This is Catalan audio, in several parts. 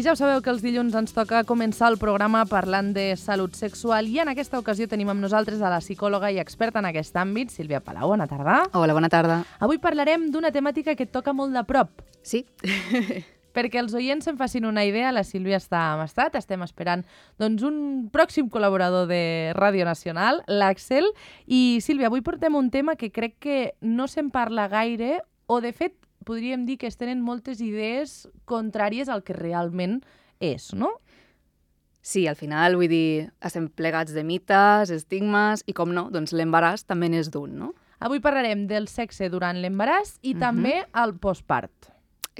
ja ho sabeu que els dilluns ens toca començar el programa parlant de salut sexual i en aquesta ocasió tenim amb nosaltres a la psicòloga i experta en aquest àmbit, Sílvia Palau. Bona tarda. Hola, bona tarda. Avui parlarem d'una temàtica que et toca molt de prop. Sí. Perquè els oients se'n facin una idea, la Sílvia està amb estat, estem esperant doncs, un pròxim col·laborador de Ràdio Nacional, l'Àxel. I Sílvia, avui portem un tema que crec que no se'n parla gaire o, de fet, podríem dir que es tenen moltes idees contràries al que realment és, no? Sí, al final, vull dir, estem plegats de mites, estigmes i, com no, doncs l'embaràs també n'és d'un, no? Avui parlarem del sexe durant l'embaràs i també al postpart.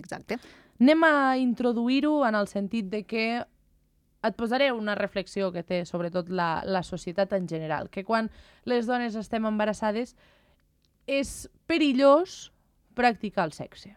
Exacte. Anem a introduir-ho en el sentit de que et posaré una reflexió que té sobretot la societat en general, que quan les dones estem embarassades és perillós practicar el sexe.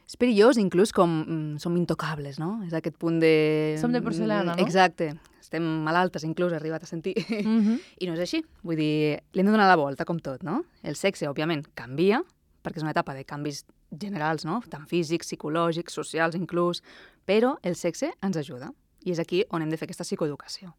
És perillós, inclús com som intocables, no? És aquest punt de... Som de porcelana, no? Exacte. Estem malaltes, inclús, he arribat a sentir. I no és així. Vull dir, li hem de donar la volta, com tot, no? El sexe, òbviament, canvia, perquè és una etapa de canvis generals, no? Tant físics, psicològics, socials, inclús, però el sexe ens ajuda. I és aquí on hem de fer aquesta psicoeducació.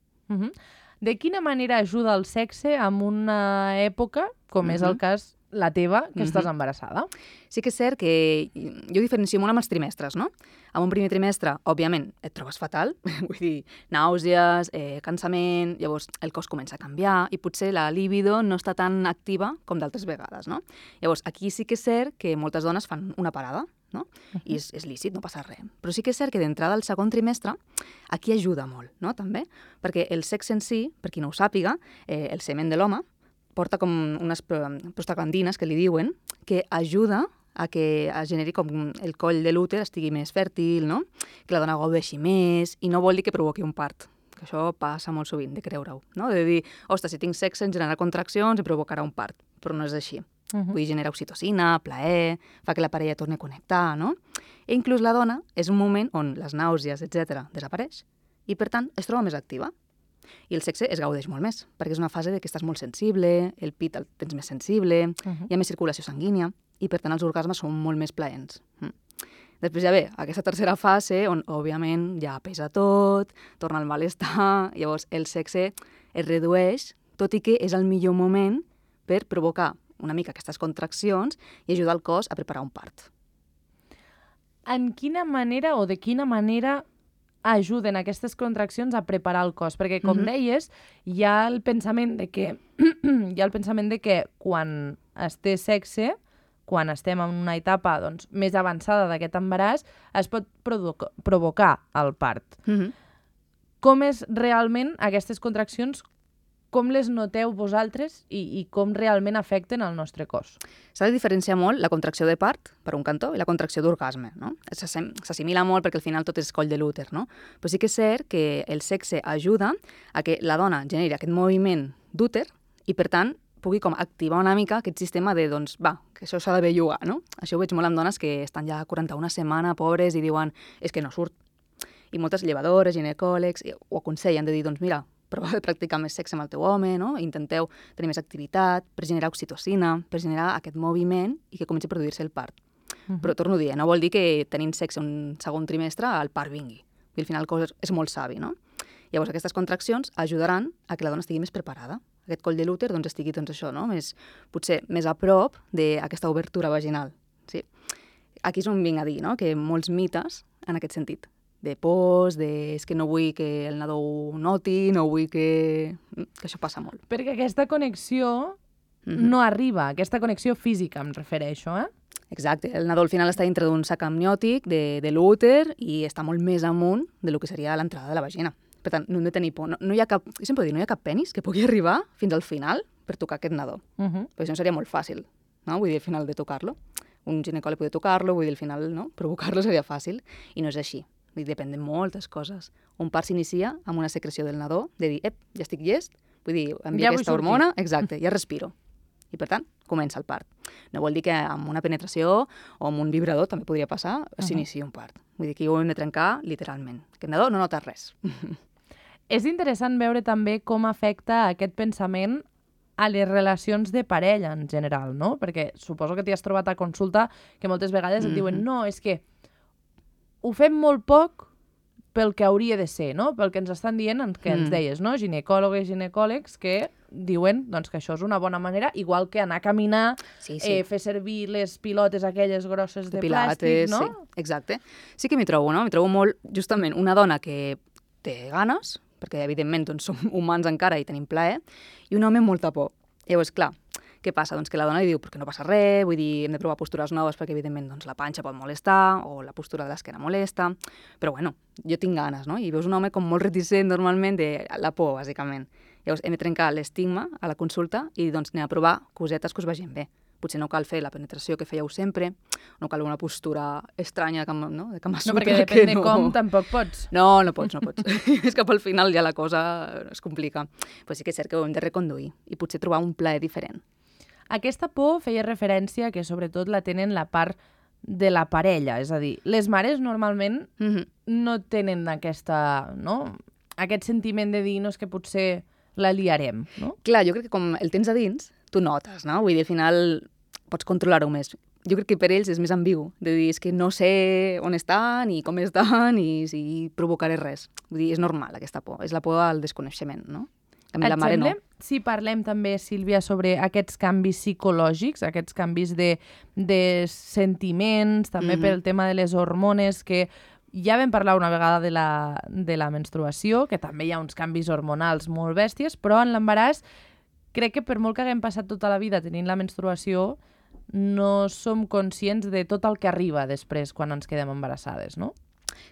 De quina manera ajuda el sexe en una època, com és el cas la teva, que estàs embarassada? Sí que és cert que jo diferencio molt amb els trimestres, no? En un primer trimestre, òbviament, et trobes fatal, vull dir, nàusees, cansament, llavors el cos comença a canviar i potser la libido no està tan activa com d'altres vegades, no? Llavors, aquí sí que és cert que moltes dones fan una parada, no? I és lícit, no passa res. Però sí que és cert que d'entrada al segon trimestre aquí ajuda molt, no? També, perquè el sexe en si, per qui no ho sàpiga, el semen de l'home, porta com unes prostaglandines, que li diuen, que ajuda a que es generi com el coll de l'úter estigui més fèrtil, no? Que la dona gaudeixi més, i no vol dir que provoqui un part, que això passa molt sovint, de creure-ho, no? De dir, ostres, si tinc sexe em generarà contraccions i provocarà un part, però no és així. Vull dir, genera oxitocina, plaer, fa que la parella torni a connectar, no? I inclús la dona és un moment on les nàusees, etc., desapareix i, per tant, es troba més activa. I el sexe es gaudeix molt més, perquè és una fase de que estàs molt sensible, el pit el tens més sensible, hi ha més circulació sanguínia, i per tant els orgasmes són molt més plaents. Després ja ve aquesta tercera fase, on òbviament ja pesa tot, torna al malestar, llavors el sexe es redueix, tot i que és el millor moment per provocar una mica aquestes contraccions i ajudar el cos a preparar un part. En quina manera o de quina manera ajuden aquestes contraccions a preparar el cos? Perquè, com deies, hi ha el pensament de que quan es té sexe, quan estem en una etapa doncs, més avançada d'aquest embaràs, es pot provocar el part. Com és realment aquestes contraccions? Com les noteu vosaltres i com realment afecten el nostre cos? S'ha de diferenciar molt la contracció de part, per un cantó, i la contracció d'orgasme, no? S'assimila molt perquè al final tot és coll de l'úter, no? Però sí que és cert que el sexe ajuda a que la dona generi aquest moviment d'úter i, per tant, pugui com activar una mica aquest sistema de, doncs, va, que això s'ha de bellugar, no? Això ho veig molt amb dones que estan ja 41 setmanes, pobres, i diuen, és que no surt. I moltes llevadores, ginecòlegs, ho aconsellen de dir, doncs, mira, prova de practicar més sexe amb el teu home, no? Intenteu tenir més activitat per generar oxitocina, per generar aquest moviment i que comenci a produir-se el part. Però torno a dir, no vol dir que tenint sexe un segon trimestre el part vingui. I al final el cos és molt savi, no? Llavors aquestes contraccions ajudaran a que la dona estigui més preparada. Aquest coll de l'úter doncs, estigui doncs, això, no? Potser més a prop d'aquesta obertura vaginal. Sí? Aquí és on vinc a dir, no? Que molts mites en aquest sentit. De pors, és que no vull que el nadó ho noti, no vull que això passa molt. Perquè aquesta connexió no arriba, aquesta connexió física em refereixo, Exacte, el nadó al final està dintre d'un sac amniòtic de l'úter i està molt més amunt del que seria l'entrada de la vagina. Per tant, no hem de tenir por. No hi ha cap, jo sempre dic, no hi ha cap penis que pugui arribar fins al final per tocar aquest nadó. Perquè això seria molt fàcil, no? Vull dir, al final de tocar-lo. Un ginecòleg pot tocar-lo, vull dir, al final, no? Provocar-lo seria fàcil, i no és així. Depèn de moltes coses. Un part s'inicia amb una secreció del nadó, de dir, ja estic llest, vull dir, envia aquesta hormona, exacte, ja respiro. I per tant, comença el part. No vol dir que amb una penetració o amb un vibrador, també podria passar, s'inicia un part. Vull dir que ho hem de trencar literalment. Aquest nadó no nota res. És interessant veure també com afecta aquest pensament a les relacions de parella en general, no? Perquè suposo que t'hi has trobat a consulta que moltes vegades et diuen no, és que ho fem molt poc pel que hauria de ser, no? Pel que ens estan dient, que ens deies, no? Ginecòlogues i ginecòlegs que diuen doncs, que això és una bona manera, igual que anar a caminar, fer servir les pilotes aquelles grosses de plàstic, no? Sí, exacte. Sí que m'hi trobo, no? M'hi trobo molt, justament, una dona que té ganes, perquè evidentment doncs, som humans encara i tenim plaer, i un home amb molta por. Llavors, clar, què passa? Doncs que la dona li diu perquè no passa res, vull dir, hem de provar postures noves perquè evidentment doncs, la panxa pot molestar o la postura de l'esquena molesta, però bueno, jo tinc ganes, no? I veus un home com molt reticent normalment de la por, bàsicament. Llavors hem de trencar l'estigma a la consulta i doncs anem a provar cosetes que us vagin bé. Potser no cal fer la penetració que fèieu sempre, no cal una postura estranya no? De Kama Sutra. No, perquè depèn de com tampoc pots. No pots. És que al final ja la cosa es complica. Però sí que és cert que ho hem de reconduir i potser trobar un plaer diferent. Aquesta por feia referència que sobretot la tenen la part de la parella, és a dir, les mares normalment no tenen aquesta, no? Aquest sentiment de dir, no, és que potser la liarem, no? Clar, jo crec que com el tens a dins, tu notes, no? Vull dir, al final pots controlar-ho més. Jo crec que per ells és més ambigu, de dir, és que no sé on estan i com estan i si provocaré res. Vull dir, és normal aquesta por, és la por al desconeixement, no? A mi la mare no. Si parlem també, Sílvia, sobre aquests canvis psicològics, aquests canvis de sentiments, també pel tema de les hormones, que ja vam parlar una vegada de la menstruació, que també hi ha uns canvis hormonals molt bèsties, però en l'embaràs crec que per molt que haguem passat tota la vida tenint la menstruació, no som conscients de tot el que arriba després quan ens quedem embarassades, no?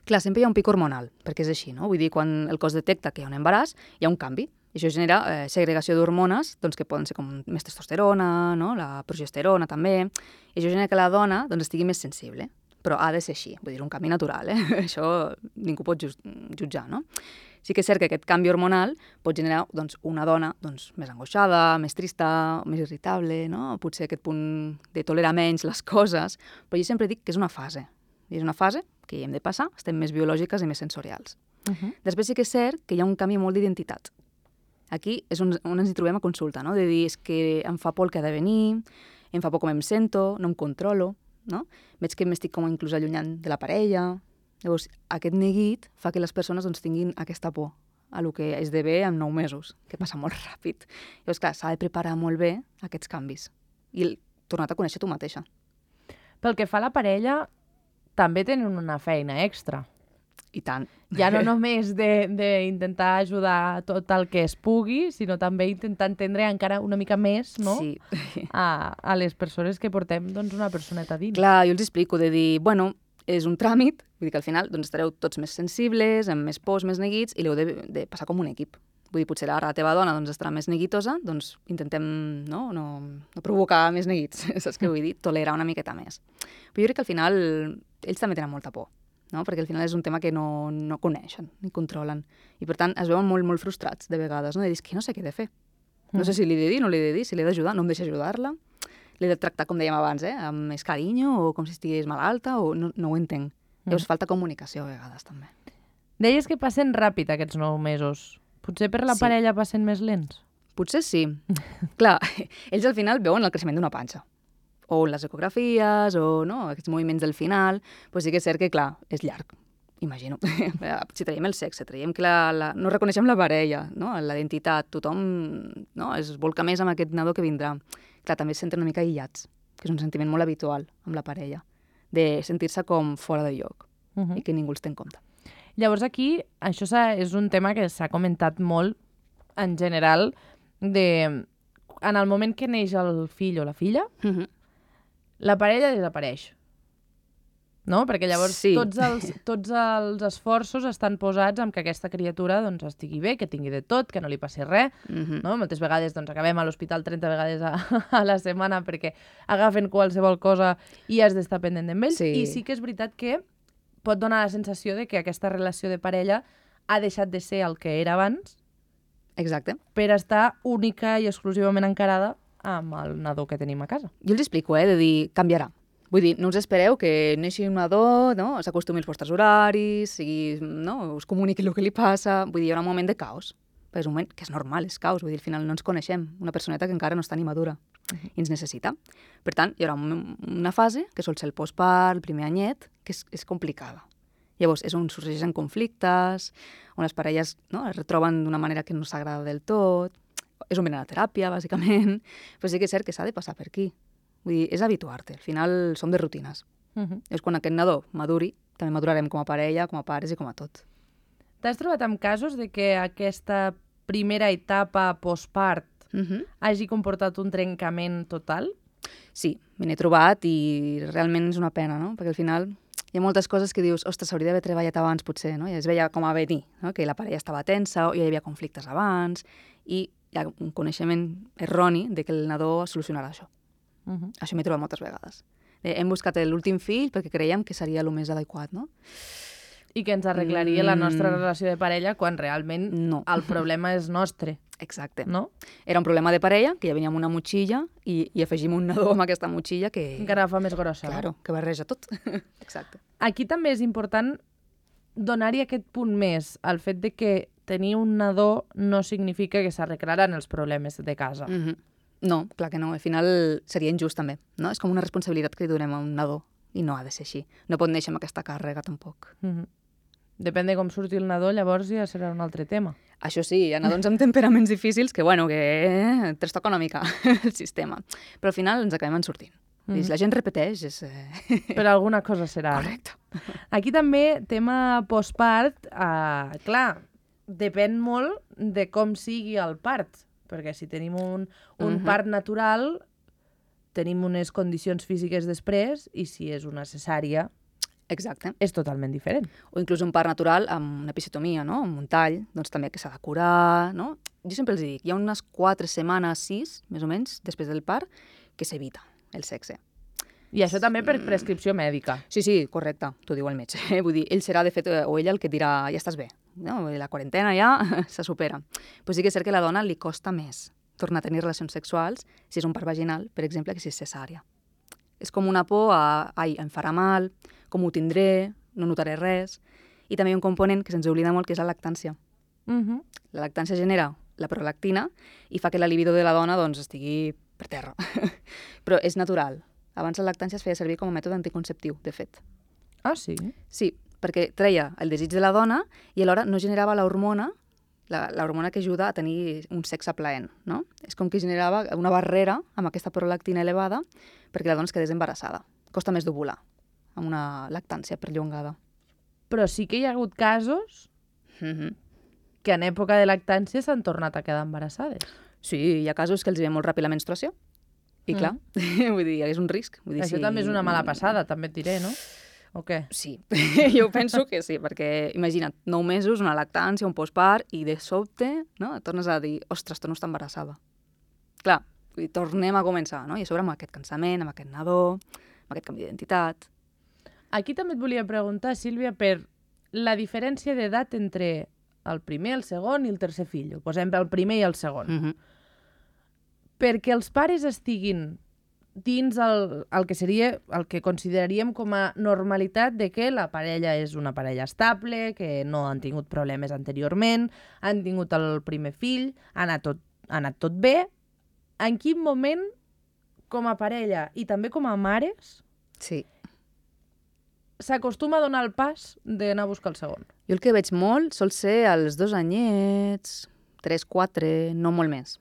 Clar, sempre hi ha un pic hormonal, perquè és així, no? Vull dir, quan el cos detecta que hi ha un embaràs, hi ha un canvi. I això genera segregació d'hormones doncs, que poden ser com més testosterona, no? La progesterona també, i això genera que la dona doncs, estigui més sensible. Però ha de ser així, vull dir, un canvi natural, Això ningú pot jutjar, no? Sí que és cert que aquest canvi hormonal pot generar doncs, una dona doncs, més angoixada, més trista, més irritable, no? Potser aquest punt de tolerar menys les coses, però jo sempre dic que és una fase. I és una fase que hi hem de passar, estem més biològiques i més sensorials. Després sí que és cert que hi ha un canvi molt d'identitat. Aquí és on ens hi trobem a consulta, no? De dir, és que em fa por el que ha de venir, em fa por com em sento, no em controlo, no? Veig que m'estic com inclús allunyant de la parella. Llavors, aquest neguit fa que les persones doncs, tinguin aquesta por a lo que esdevé en 9 mesos, que passa molt ràpid. Llavors, clar, s'ha de preparar molt bé aquests canvis i tornar a conèixer tu mateixa. Pel que fa a la parella, també tenen una feina extra. I tant. Ja no només d'intentar ajudar tot el que es pugui, sinó també intentar entendre encara una mica més, no? Sí. A les persones que portem doncs, una personeta dins. Clar, jo els explico de dir, bueno, és un tràmit, vull dir que al final doncs, estareu tots més sensibles, amb més pors, més neguits, i l'heu de passar com un equip. Vull dir, potser ara la teva dona doncs, estarà més neguitosa, doncs intentem no provocar més neguits, saps què vull dir? Tolerar una miqueta més. Però jo crec que al final ells també tenen molta por, no? Perquè al final és un tema que no coneixen ni controlen. I per tant es veuen molt, molt frustrats de vegades, no? De dir, que no sé què he de fer. No sé si li he de dir, no li he de dir, si l'he d'ajudar, no em deixa ajudar-la. L'he de tractar, com dèiem abans, amb més carinyo o com si estigués malalta, o no ho entenc. Llavors falta comunicació a vegades, també. Deies que passen ràpid aquests 9 mesos. Potser per la parella passen més lents? Potser sí. Clar, ells al final veuen el creixement d'una panxa. O les ecografies, o no, aquests moviments del final, però sí que és cert que, clar, és llarg, imagino. Si traiem el sexe, traiem que no reconeixem la parella, no? La identitat, tothom no? Es volca més amb aquest nadó que vindrà. Clar, també es senten una mica aïllats, que és un sentiment molt habitual amb la parella, de sentir-se com fora de lloc i que ningú els té en compte. Llavors aquí, això és un tema que s'ha comentat molt en general, en el moment que neix el fill o la filla, la parella desapareix. No? Perquè llavors tots els esforços estan posats en que aquesta criatura doncs, estigui bé, que tingui de tot, que no li passi res. No? Moltes vegades doncs, acabem a l'hospital 30 vegades a la setmana perquè agafen qualsevol cosa i has d'estar pendent d'ells. I sí que és veritat que pot donar la sensació de que aquesta relació de parella ha deixat de ser el que era abans. Exacte. Per estar única i exclusivament encarada amb el nadó que tenim a casa. Jo els explico, de dir, canviarà. Vull dir, no us espereu que neixi un nadó, no? S'acostumi als vostres horaris, us comuniqui el que li passa. Vull dir, hi ha un moment de caos. Però és un moment que és normal, és caos. Vull dir, al final no ens coneixem. Una personeta que encara no està ni madura i ens necessita. Per tant, hi haurà una fase, que sol ser el postpart, el primer anyet, que és complicada. Llavors, és on sorgeixen conflictes, on les parelles es retroben d'una manera que no s'agrada del tot, és on venen a la teràpia, bàsicament, però sí que és cert que s'ha de passar per aquí. Vull dir, és habituar-te, al final som de rutines. És quan aquest nadó maduri, també madurarem com a parella, com a pares i com a tot. T'has trobat amb casos de que aquesta primera etapa postpart hagi comportat un trencament total? Sí, me n'he trobat i realment és una pena, no? Perquè al final hi ha moltes coses que dius, ostres, s'hauria d'haver treballat abans potser, no? I es veia com a venir, no? Que la parella estava tensa o hi havia conflictes abans i hi ha un coneixement erroni de que el nadó solucionarà això. Això m'he trobat moltes vegades. Hem buscat l'últim fill perquè creiem que seria el més adequat, no? I que ens arreglaria la nostra relació de parella quan realment el problema és nostre. Exacte. No? Era un problema de parella, que ja venia amb una motxilla i afegim un nadó amb aquesta motxilla que... Encara fa més grossa. Claro, que barreja tot. Exacte. Aquí també és important donar-hi aquest punt més, el fet de que tenir un nadó no significa que s'arreglaran els problemes de casa. No, clar que no. Al final seria injust també, no? És com una responsabilitat que li donem a un nadó i no ha de ser així. No pot néixer amb aquesta càrrega tampoc. Depèn de com surti el nadó, llavors ja serà un altre tema. Això sí, hi ha nadons amb temperaments difícils que trastoca una mica el sistema. Però al final ens acabem en sortint. Si la gent repeteix, és... Per alguna cosa serà. Correcte. Aquí també, tema postpart, clar, depèn molt de com sigui el part. Perquè si tenim un part natural, tenim unes condicions físiques després, i si és una cesària... Exacte. És totalment diferent. O inclús un part natural amb una episiotomia, no? Amb un tall, doncs també que s'ha de curar, no? Jo sempre els dic, hi ha unes 4 setmanes, 6, més o menys, després del part, que s'evita el sexe. I això també per prescripció mèdica. Sí, correcte, t'ho diu el metge. Vull dir, ell serà, de fet, o ella el que dirà, ja estàs bé, no? La quarantena ja se supera. Però sí que és cert que a la dona li costa més tornar a tenir relacions sexuals si és un part vaginal, per exemple, que si és cesària. És com una por a, em farà mal, com ho tindré, no notaré res. I també hi ha un component que se'ns oblida molt, que és la lactància. La lactància genera la prolactina i fa que la libido de la dona doncs, estigui per terra. Però és natural. Abans la lactància es feia servir com a mètode anticonceptiu, de fet. Ah, sí? Sí, perquè treia el desig de la dona i alhora no generava l'hormona, l'hormona que ajuda a tenir un sexe plaent, no? És com que generava una barrera amb aquesta prolactina elevada perquè la dona es quedés embarassada. Costa més d'ovular amb una lactància perllongada. Però sí que hi ha hagut casos que en època de lactància s'han tornat a quedar embarassades. Sí, hi ha casos que els ve molt ràpid la menstruació. I clar, vull dir, és un risc. Vull dir, això també és una mala passada, també et diré, no? O què? Sí, jo penso que sí, perquè imagina't, 9 mesos, una lactància, un postpart, i de sobte, no?, et tornes a dir, ostres, torno a estar embarassada. Clar, tornem a començar, no? I a sobre amb aquest cansament, amb aquest nadó, amb aquest canvi d'identitat. Aquí també et volia preguntar, Sílvia, per la diferència d'edat entre el primer, el segon i el tercer fill. Ho posem el primer i el segon. Perquè els pares estiguin dins el que seria el que consideraríem com a normalitat de que la parella és una parella estable, que no han tingut problemes anteriorment, han tingut el primer fill, ha anat tot bé. En quin moment, com a parella i també com a mares, s'acostuma a donar el pas d'anar a buscar el segon? Jo el que veig molt sol ser als 2 anyets, 3, 4, no molt més.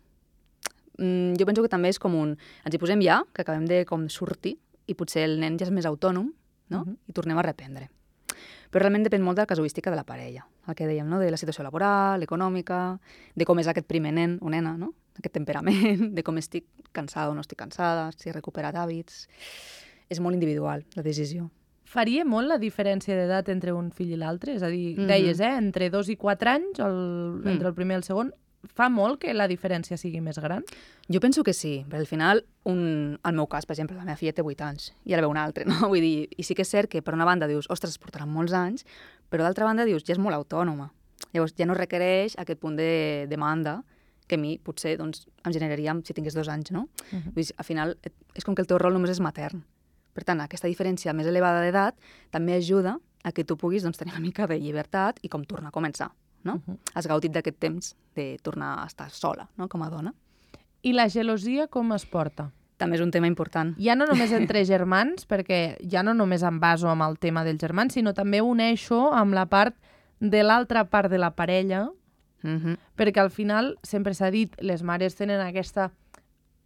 Jo penso que també és com ens hi posem ja, que acabem de sortir, i potser el nen ja és més autònom, no? I tornem a reprendre. Però realment depèn molt de la casuística de la parella, el que dèiem, no? De la situació laboral, econòmica, de com és aquest primer nen o nena, no? Aquest temperament, de com estic cansada o no estic cansada, si he recuperat hàbits. És molt individual, la decisió. Faria molt la diferència d'edat entre un fill i l'altre? És a dir, deies, entre 2 i 4 anys, entre el primer i el segon, fa molt que la diferència sigui més gran? Jo penso que sí, perquè al final, al meu cas, per exemple, la meva filla té 8 anys i ara ve una altra, no? Vull dir, i sí que és cert que per una banda dius, ostres, es portaran molts anys, però d'altra banda dius, ja és molt autònoma. Llavors ja no requereix aquest punt de demanda que a mi potser doncs, em generaria si tingués 2 anys, no? Vull dir, al final és com que el teu rol només és matern. Per tant, aquesta diferència més elevada d'edat també ajuda a que tu puguis doncs, tenir una mica de llibertat i com tornar a començar, no? Has gaudit d'aquest temps de tornar a estar sola, no?, com a dona. I la gelosia com es porta? També és un tema important. Ja no només entre germans, perquè ja no només em baso amb el tema dels germans, sinó també uneixo amb la part de l'altra part de la parella, perquè al final, sempre s'ha dit, les mares tenen aquesta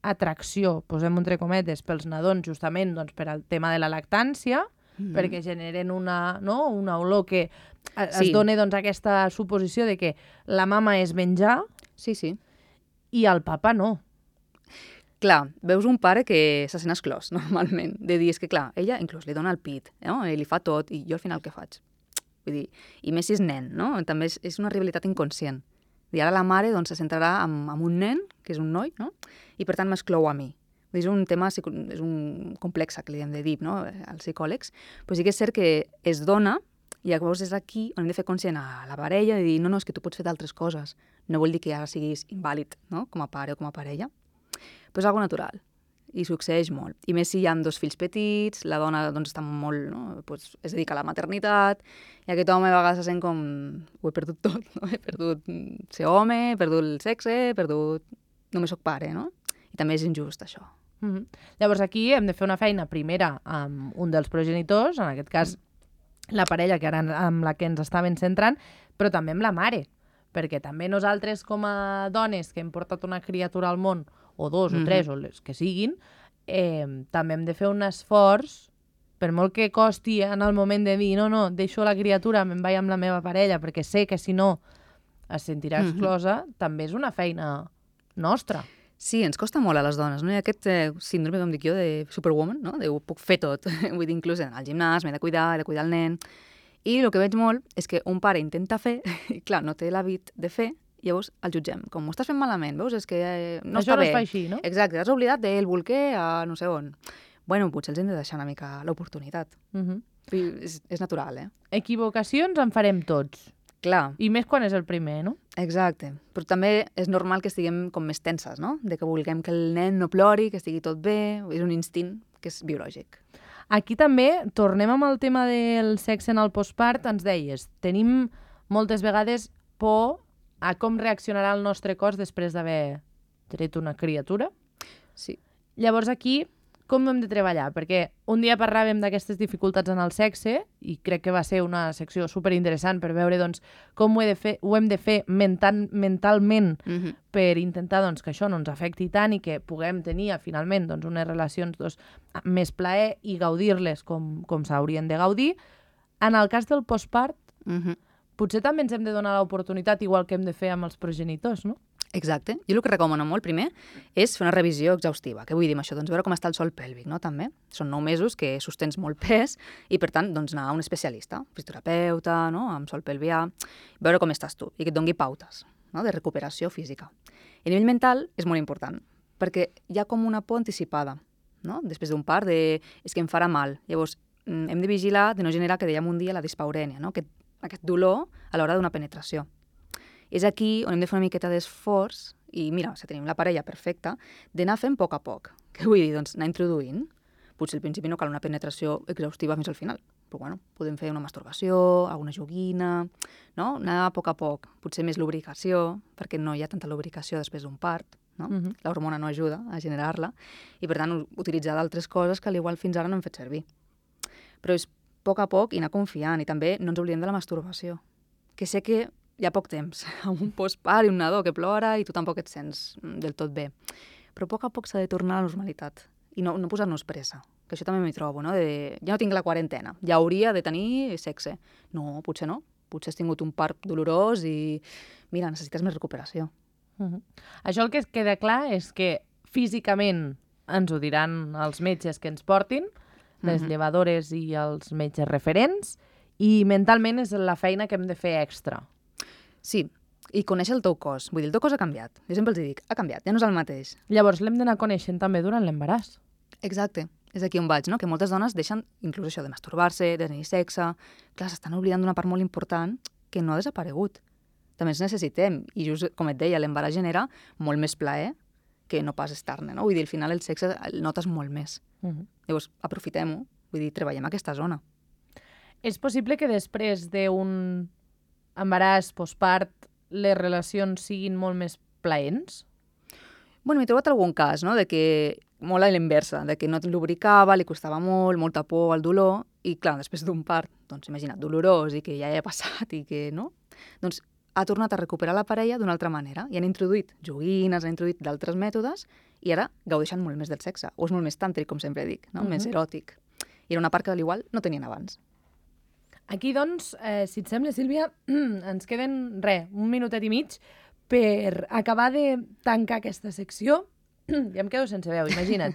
atracció, posem entre cometes, pels nadons, justament doncs, per al tema de la lactància, perquè generen una olor que es dona doncs, aquesta suposició de que la mama és menjar i el papa no. Clar, veus un pare que se sent exclòs, normalment, de dir, és que clar, ella inclús li dona el pit, no? I li fa tot, i jo al final què faig? Vull dir, i més si és nen, no? També és una rivalitat inconscient. I ara la mare doncs, se centrarà amb un nen, que és un noi, no? I per tant m'exclou a mi. És un tema, és un complex que li hem de dir, no? Als psicòlegs. Però sí que és cert que es dona, i llavors és aquí on hem de fer conscient a la parella de dir, no, és que tu pots fer d'altres coses. No vol dir que ara siguis invàlid, no? Com a pare o com a parella. Però és algo natural i succeeix molt. I més si hi ha 2 fills petits, la dona doncs, està molt, no? Pues, es dedica a la maternitat, i aquest home a vegades se sent com ho he perdut tot, no? He perdut ser home, he perdut el sexe, he perdut... Només soc pare, no? I també és injust, això. Llavors aquí hem de fer una feina primera amb un dels progenitors, en aquest cas la parella que ara amb la que ens estaven centrant, però també amb la mare, perquè també nosaltres com a dones que hem portat una criatura al món, o 2 o 3 o les que siguin, també hem de fer un esforç, per molt que costi en el moment de dir no, deixo la criatura, me'n vaig amb la meva parella, perquè sé que si no es sentirà exclosa, també és una feina nostra. Sí, ens costa molt a les dones, no? Hi ha aquest síndrome, com dic jo, de superwoman, no? De ho puc fer tot. Vull dir, inclús al gimnàs, m'he de cuidar el nen. I el que veig molt és que un pare intenta fer, i clar, no té l'hàbit de fer, llavors el jutgem. Com ho estàs fent malament, veus? És que no això està bé. Això no es fa així, no? Exacte, has oblidat del bolquer a no sé on. Bueno, potser els hem de deixar una mica l'oportunitat. És natural, eh? Equivocacions en farem tots. Clar. I més quan és el primer, no? Exacte. Però també és normal que estiguem com més tenses, no? De que vulguem que el nen no plori, que estigui tot bé. És un instint que és biològic. Aquí també, tornem amb el tema del sexe en el postpart, ens deies, tenim moltes vegades por a com reaccionarà el nostre cos després d'haver tret una criatura. Sí. Llavors aquí, com ho hem de treballar? Perquè un dia parlàvem d'aquestes dificultats en el sexe i crec que va ser una secció superinteressant per veure doncs, com ho hem de fer mentalment per intentar doncs, que això no ens afecti tant i que puguem tenir finalment doncs, unes relacions doncs, amb més plaer i gaudir-les com s'haurien de gaudir. En el cas del postpart, potser també ens hem de donar l'oportunitat igual que hem de fer amb els progenitors, no? Exacte. Jo el que recomano molt primer és fer una revisió exhaustiva. Què vull dir amb això? Doncs veure com està el sòl pèlvic, no? També. Són 9 mesos que sostens molt pes i, per tant, doncs anar a un especialista, fisioterapeuta, no? Amb sòl pelvià, veure com estàs tu i que et doni pautes, no? De recuperació física. I a nivell mental és molt important, perquè hi ha com una por anticipada, no? Després d'un part és que em farà mal. Llavors, hem de vigilar de no generar, que dèiem un dia, la dispaurènia, no? Aquest dolor a l'hora d'una penetració. És aquí on hem de fer una miqueta d'esforç i, mira, si tenim la parella perfecta, d'anar fent a poc. Què vull dir? Doncs anar introduint. Potser al principi no cal una penetració exhaustiva fins al final, però bueno, podem fer una masturbació, alguna joguina, no? Anar a poc. Potser més lubricació, perquè no hi ha tanta lubricació després d'un part, no? L'hormona no ajuda a generar-la, i per tant utilitzar d'altres coses que igual fins ara no hem fet servir. Però és a poc i anar confiant, i també no ens oblidem de la masturbació, que sé que hi ha poc temps, amb un postpart i un nadó que plora i tu tampoc et sents del tot bé. Però a poc s'ha de tornar a la normalitat i no posar-nos pressa, que això també m'hi trobo, no? Ja no tinc la quarantena, ja hauria de tenir sexe. No, potser no. Potser has tingut un part dolorós i, mira, necessites més recuperació. Això el que queda clar és que físicament ens ho diran els metges que ens portin, les llevadores i els metges referents, i mentalment és la feina que hem de fer extra. Sí, i conèixer el teu cos. Vull dir, el teu cos ha canviat. Jo sempre els dic, ha canviat, ja no és el mateix. Llavors l'hem d'anar coneixent també durant l'embaràs. Exacte. És aquí on vaig, no? Que moltes dones deixen inclús això de masturbar-se, de tenir sexe. Clar, s'estan oblidant d'una part molt important que no ha desaparegut. També ens necessitem. I just, com et deia, l'embaràs genera molt més plaer que no pas estar-ne, no? Vull dir, al final el sexe el notes molt més. Llavors, aprofitem-ho. Vull dir, treballem aquesta zona. És possible que després d'un embaràs, postpart, les relacions siguin molt més plaents? Bueno, m'he trobat algun cas, no?, de que molt a l'inversa, de que no lubricava, li costava molt, molta por al dolor, i clar, després d'un part, doncs imagina't, dolorós i que ja ha passat i que no, doncs ha tornat a recuperar la parella d'una altra manera i han introduït joguines, han introduït d'altres mètodes i ara gaudeixen molt més del sexe, o és molt més tàntric, com sempre dic, no? Més eròtic. I era una part que al igual no tenien abans. Aquí, doncs, si et sembla, Sílvia, ens queden, un minutet i mig per acabar de tancar aquesta secció. Ja em quedo sense veu, imagina't.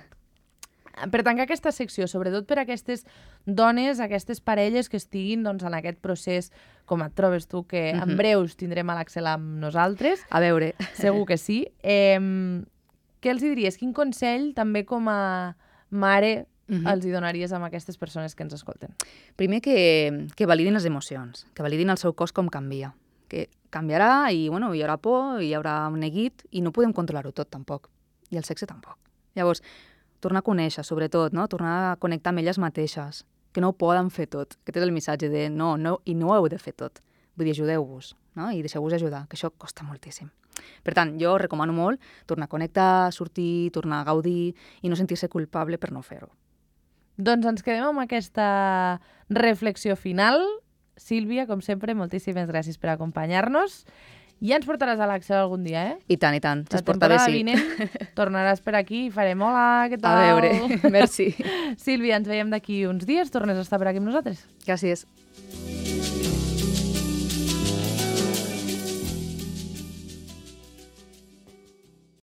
Per tancar aquesta secció, sobretot per aquestes dones, aquestes parelles que estiguin doncs, en aquest procés, com et trobes tu, que en breus tindrem a l'Axel amb nosaltres. A veure. Segur que sí. Què els diries? Quin consell, també com a mare, els hi donaries amb aquestes persones que ens escolten? Primer que validin les emocions, que validin el seu cos com canvia, que canviarà i bueno, hi haurà por, hi haurà un neguit i no podem controlar-ho tot tampoc, i el sexe tampoc. Llavors, tornar a conèixer, sobretot, no? Tornar a connectar amb elles mateixes, que no ho poden fer tot, que és el missatge de no, i no ho heu de fer tot. Vull dir, ajudeu-vos, no? I deixeu-vos ajudar, que això costa moltíssim. Per tant, jo recomano molt tornar a connectar, sortir, tornar a gaudir i no sentir-se culpable per no fer-ho. Doncs ens quedem amb aquesta reflexió final. Sílvia, com sempre, moltíssimes gràcies per acompanyar-nos. Ja ens portaràs a l'Axel algun dia, eh? I tant, si es es porta bé, sí. La temporada vinent tornaràs per aquí i farem hola, què tal? A veure, merci. Sílvia, ens veiem d'aquí uns dies, tornes a estar per aquí amb nosaltres. Gràcies.